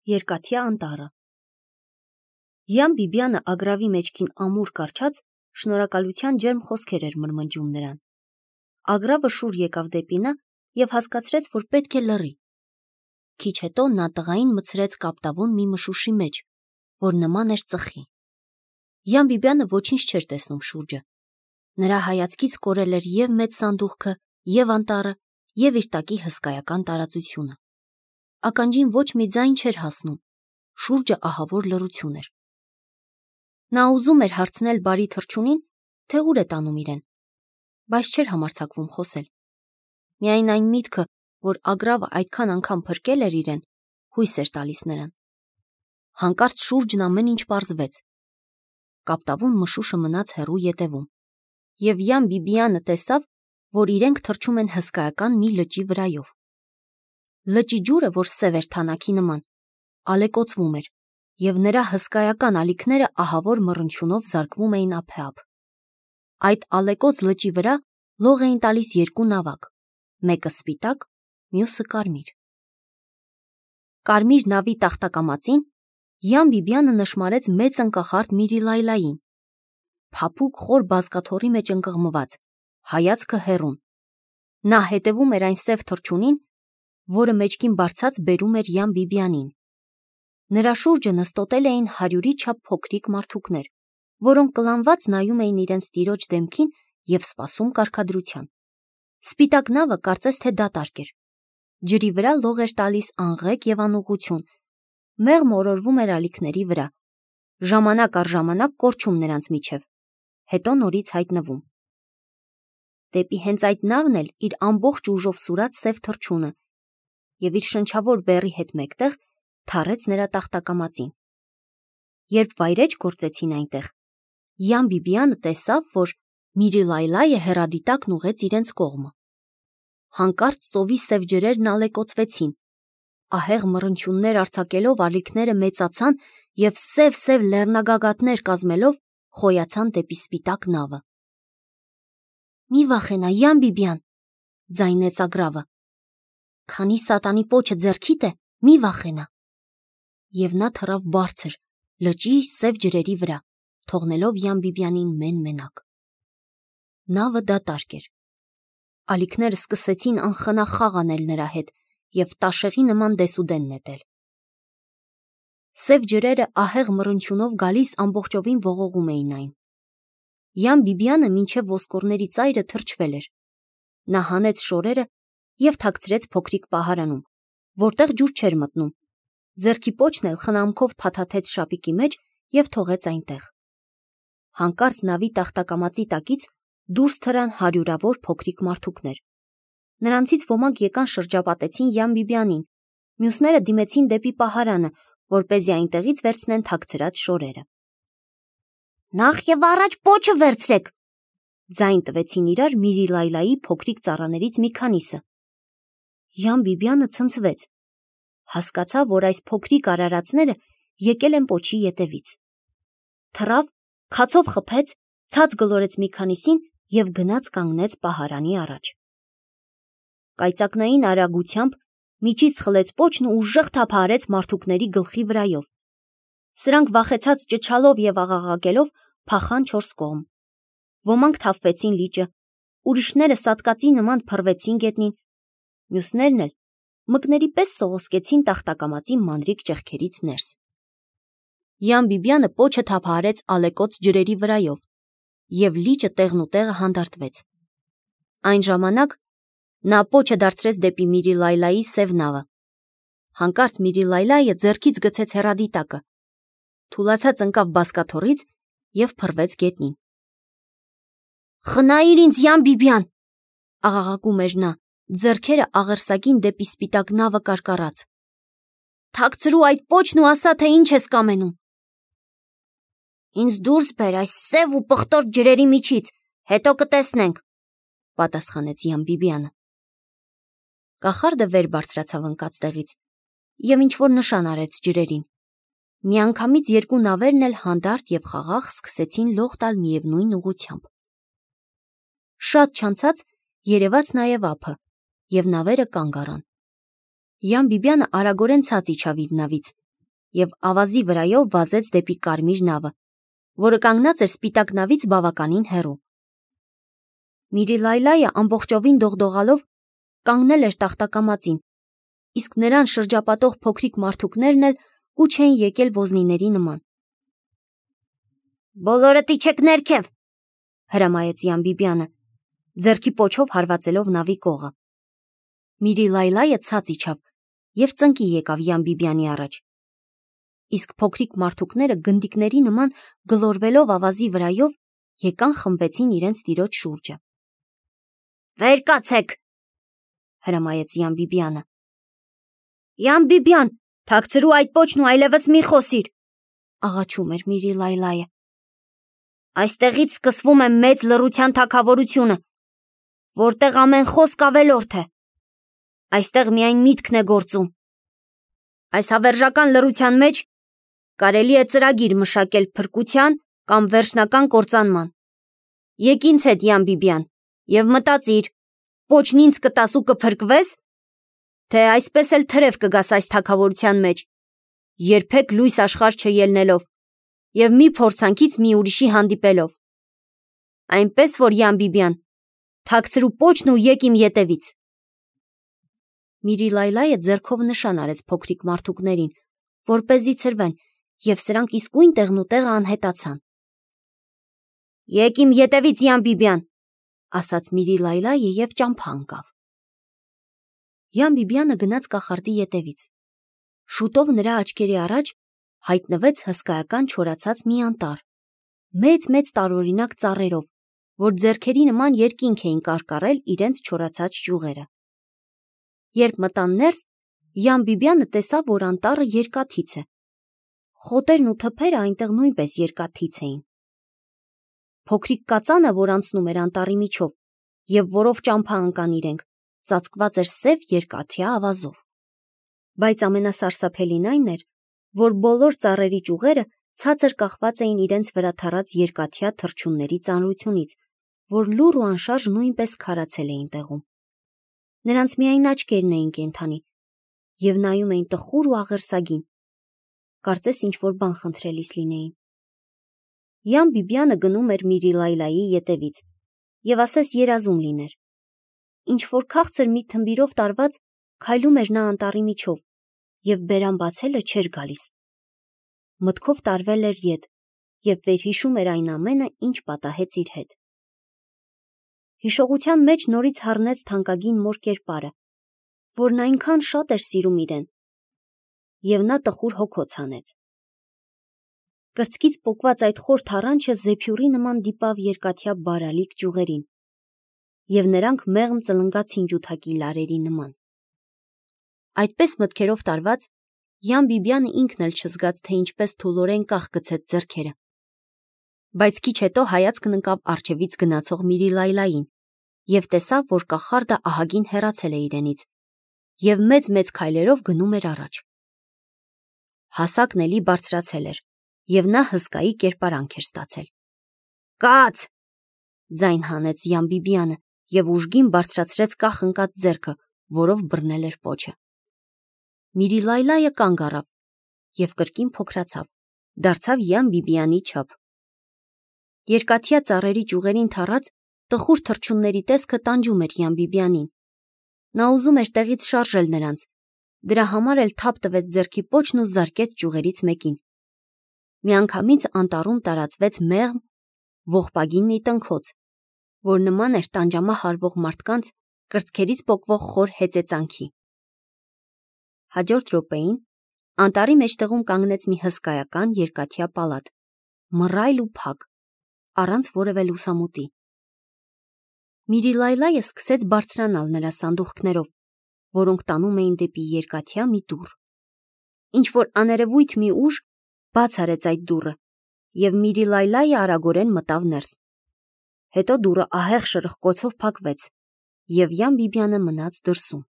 Երկաթյա անտառը։ Յան Բիբյանը ագրավի մեջքին ամուր կարչած շնորհակալության ջերմ խոսքեր էր մրմնջում նրան։ Ագրավը շուռ եկավ դեպի նա և հասկացրեց, որ պետք է լռի։ Քիչ հետո նա տղային մտցրեց կապտավուն մի մշուշի մեջ, որ նման էր ծխի։ Յան Բիբյանը ոչինչ չէր տեսնում շուրջը։ Նրա հայացքից կորել էր և մեծ սանդուղքը, և անտառը, և իր տակի հսկայական տարածությունը։ Ականջին ոչ մի ձայն չէր հասնում, շուրջը ահավոր լռություն էր։ Նա ուզում էր հարցնել բարի թռչունին, թե ուր է տանում իրեն, բայց չէր համարձակվում խոսել։ Միայն այն միտքը, որ ագրավը այդքան անգամ փրկել էր իրեն, հույս էր տալիս նրան։ Հանկարծ շուրջն ամեն ինչ պարզվեց։ Կապտավուն մշուշը մնաց հեռու ետևում, և Յան Բիբյանը տեսավ, որ իրենք թռչում են հսկայական մի լճի վրայով։ Լճի ջուրը, որ սև էր թանաքի նման, ալեկոծվում էր, և նրա հսկայական ալիքները ահավոր մռնչյունով զարկվում էին ափեափ։ Այդ ալեկոծ լճի վրա լող էին տալիս երկու նավակ, մեկը սպիտակ, մյուսը կարմիր։ Կարմիր նավի տախտակամածին Յան Բիբյանը նշմարեց մեծ ընկախարդ Միրիլայլային, փափուկ խոր բազկաթոռի մեջ ընկղմված, հայացքը հեռուն։ Նա հետևում էր այն սև թռչունին, որը մեջքին բարձած բերում էր Յան Բիբյանին։ Նրա շուրջը նստոտել էին 100-ի չափ փոքրիկ մարդուկներ, որոնք կլանված նայում էին իրենց տիրոջ դեմքին և սպասում կարգադրության։ Սպիտակ նավը կարծես թե դատարկ էր։ Ջրի վրա լող էր տալիս աղղեկ և անուղղություն, մեղմ օրորվում էր ալիքների վրա, ժամանակ առ ժամանակ կորչում նրանց միջև, հետո նորից հայտնվում։ Դեպի հենց այդ նավն էլ իր ամբողջ ուժով սուրաց սև թռչունը և իր շնչավոր բեռի հետ մեկտեղ թառեց նրա տախտակամածին։ Երբ վայրէջք գործեցին այնտեղ, Յան Բիբյանը տեսավ, որ Միրիլայլայը հեռադիտակն ուղղեց իրենց կողմը։ Հանկարծ ծովի սև ջրերն ալեկոծվեցին, ահեղ մռնչյուններ արձակելով ալիքները մեծացան և սև լեռնագագաթներ կազմելով խոյացան դեպի սպիտակ նավը։ «Մի վախենա, Յան Բիբյան», ձայնեց ագրավը, «քանի սատանի պոչը ձեռքիդ է, մի վախենա»։ Եվ նա թռավ բարձր, լճի սև ջրերի վրա, թողնելով Յան Բիբյանին մեն-մենակ։ Նավը դատարկ էր։ Ալիքները սկսեցին անխնա խաղ անել նրա հետ և տաշեղի նման դեսուդեն նետել։ Սև ջրերը ահեղ մռնչյունով գալիս ամբողջովին ողողում էին այն։ Յան Բիբյանը մինչև ոսկորների ծայրը թրջվել էր։ Նա հանեց շորերը և թաքցրեց փոքրիկ պահարանում, որտեղ ջուր չէր մտնում, ձեռքի պոչն էլ խնամքով փաթաթեց շապիկի մեջ և թողեց այնտեղ։ Հանկարծ նավի տախտակամածի տակից դուրս թռան հարյուրավոր փոքրիկ մարդուկներ։ Նրանցից ոմանք եկան շրջապատեցին Յան Բիբյանին, մյուսները դիմեցին դեպի պահարանը, որպեսզի այնտեղից վերցնեն թաքցրած շորերը։ «Նախ և առաջ պոչը վերցրեք», ձայն տվեցին իրար Միրիլայլայի փոքրիկ ծառաներից մի քանիսը։ Յան Բիբյանը ցնցվեց, հասկացավ, որ այս փոքրիկ արարածները եկել են պոչի ետևից։ Թռավ, քացով խփեց, ցած գլորեց մի քանիսին և գնաց կանգնեց պահարանի առաջ։ Կայծակնային արագությամբ միջից խլեց պոչն ու ուժեղ թափահարեց մարդուկների գլխի վրայով։ Սրանք վախեցած ճչալով և աղաղակելով փախան չորս կողմ։ Ոմանք թափվեցին լիճը, ուրիշները սատկածի նման փռվեցին գետնին, մյուսներն էլ մկների պես սողոսկեցին տախտակամածի մանրիկ ճեղքերից ներս։ Յան Բիբյանը պոչը թափահարեց ալեկոծ ջրերի վրայով, և լիճը տեղնուտեղը հանդարտվեց։ Այն ժամանակ նա պոչը դարձրեց դեպի Միրիլայլայի սև նավը։ Հանկարծ Միրիլայլայը ձեռքից գցեց հեռադիտակը, թուլացած ընկավ բազկաթոռից և փռվեց գետնին։ «Խնայիր ինձ, Յան Բիբյան», աղաղակում էր նա, ձեռքերը աղերսագին դեպի սպիտակ նավը կարկառած։ «Թաքցրու այդ պոչն ու ասա, թե ինչ ես կամենում»։ «Ինձ դուրս բեր այս սև ու պղտոր ջրերի միջից, հետո կտեսնենք», պատասխանեց Յան Բիբյանը։ Կախարդը վեր բարձրացավ ընկած տեղից և ինչ-որ նշան արեց ջրերին։ Միանգամից երկու նավերն էլ հանդարտ և խաղաղ սկսեցին լող տալ միևնույն ուղղությամբ։ Շատ չանցած երևաց նաև ափը, և նավերը կանգ առան։ Յան Բիբյանը արագորեն ցած իջավ իր նավից և ավազի վրայով վազեց դեպի կարմիր նավը, որը կանգնած էր սպիտակ նավից բավականին հեռու։ Միրիլայլայը ամբողջովին դողդողալով կանգնել էր տախտակամածին, իսկ նրան շրջապատող փոքրիկ մարդուկներն էլ կուչ էին եկել ոզնիների նման։ «Բոլորդ իջեք ներքև», հրամայեց Յան-Բիբյանը, ձեռքի պոչով հարվածելով նավի կողը։ Միրիլայլայը ցած իջավ և ծնկի եկավ Յան-Բիբյանի առաջ, իսկ փոքրիկ մարդուկները գնդիկների նման գլորվելով ավազի վրայով եկան խմբվեցին իրենց տիրոջ շուրջը։ «Վեր կացեք», հրամայեց Յան-Բիբյանը։ «Յան-Բիբյան, թաքցրու այդ պոչն ու այլևս մի խոսիր», աղաչում էր Միրիլայլայը։ «Այստեղից սկսվում է մեծ լռության թագավորությունը, որտեղ ամեն խոսք ավելորդ է։ Այստեղ միայն միտքն է գործում։ Այս հավերժական լռության մեջ կարելի է ծրագիր մշակել փրկության կամ վերջնական կործանման։ Եկ ինձ հետ, Յան-Բիբյան, և մտածիր, պոչն ինձ կտաս ու կփրկվես, թե այսպես էլ թրև կգաս այս թագավորության մեջ, երբեք լույս աշխարհ չելնելով և մի փորձանքից մի ուրիշի հանդիպելով։ Այնպես որ, Յան-Բիբյան, թաքցրու պոչն ու եկ իմ ետևից»։ Միրիլայլայը ձեռքով նշան արեց փոքրիկ մարդուկներին, որպեսզի ցրվեն, և սրանք իսկույն տեղնուտեղը անհետացան։ «Եկ իմ ետևից, Յան-Բիբյան», ասաց Միրիլայլայը և ճամփա ընկավ։ Յան-Բիբյանը գնաց կախարդի ետևից։ Շուտով նրա աչքերի առաջ հայտնվեց հսկայական չորացած մի անտառ, մեծ տարօրինակ ծառերով, որ ձեռքերի նման երկինք էին կարկառել իրենց չորացած ճյուղերը։ Երբ մտան ներս, Յան-Բիբյանը տեսավ, որ անտառը երկաթից է։ Խոտերն ու թփերը այնտեղ նույնպես երկաթից էին։ Փոքրիկ կածանը, որ անցնում էր անտառի միջով և որով ճամփա ընկան իրենք, ծածկված էր սև երկաթյա ավազով։ Բայց ամենասարսափելին այն էր, որ բոլոր ծառերի ճյուղերը ցածր կախված էին իրենց վրա թռած երկաթյա թռչունների ծանրությունից, որ լուռ ու անշարժ նույնպես քարացել էին տեղում։ Նրանց միայն աչքերն էին կենդանի և նայում էին տխուր ու աղերսագին, կարծես ինչ-որ բան խնդրելիս լինեին։ Յան-Բիբյանը գնում էր Միրիլայլայի ետևից և ասես երազում լիներ։ Ինչ-որ քաղցր մի թմբիրով տարված քայլում էր նա անտառի միջով և բերան բացելը չէր գալիս։ Մտքով տարվել էր ետ և վերհիշում էր այն ամենը, ինչ պատահեց իր հետ։ Հիշողության մեջ նորից հառնեց թանկագին մոր կերպարը, որն այնքան շատ էր սիրում իրեն, և նա տխուր հոգոց հանեց։ Կրծքից պոկված այդ խոր թառանչը զեփյուռի նման դիպավ երկաթյա բարալիկ ճյուղերին, և նրանք մեղմ ծլնգացին ջութակի լարերի նման։ Այդպես մտքերով տարված, Յան-Բիբյանը ինքն էլ չզգաց, թե ինչպես թուլորեն կախ գցեց ձեռքերը։ Բայց քիչ հետո հայացքն ընկավ առջևից գնացող Միրիլայլային և տեսավ, որ կախարդը ահագին հեռացել է իրենից և մեծ քայլերով գնում էր առաջ։ Հասակն էլի բարձրացել էր, և նա հսկայի կերպարանք էր ստացել։ «Կաց», ձայն հանեց Յան-Բիբյանը և ուժգին բարձրացրեց կախ ընկած ձեռքը, որով բռնել էր պոչը։ Միրիլայլայը կանգ առավ և կրկին փոքրացավ, դարձավ Յան-Բիբյանի չափ։ Երկաթյա ծառերի ճյուղերին թառած տխուր թռչունների տեսքը տանջում էր Յան-Բիբյանին։ Նա ուզում էր տեղից շարժել նրանց, դրա համար էլ թափ տվեց ձեռքի պոչն ու զարկեց ճյուղերից մեկին։ Միանգամից անտառում տարածվեց մեղմ, ողբագին մի տնքոց, որ նման էր տանջամահ հարվող մարդկանց կրծքերից պոկվող խոր հեծեծանքի։ Հաջորդ րոպեին անտառի մեջտեղում կանգնեց մի հսկայական երկաթյա պալատ, մռայլ ու փակ, առանց որևէ լուսամուտի։ Միրիլայլայը սկսեց բարձրանալ նրա սանդուղքներով, որոնք տանում էին դեպի երկաթյա մի դուռ։ Ինչ-որ աներևույթ մի ուժ բաց արեց այդ դուռը, և Միրիլայլայը արագորեն մտավ ներս։ Հետո դուռը ահեղ շրխկոցով փակվեց, և Յան-Բիբյանը մնաց դրսում։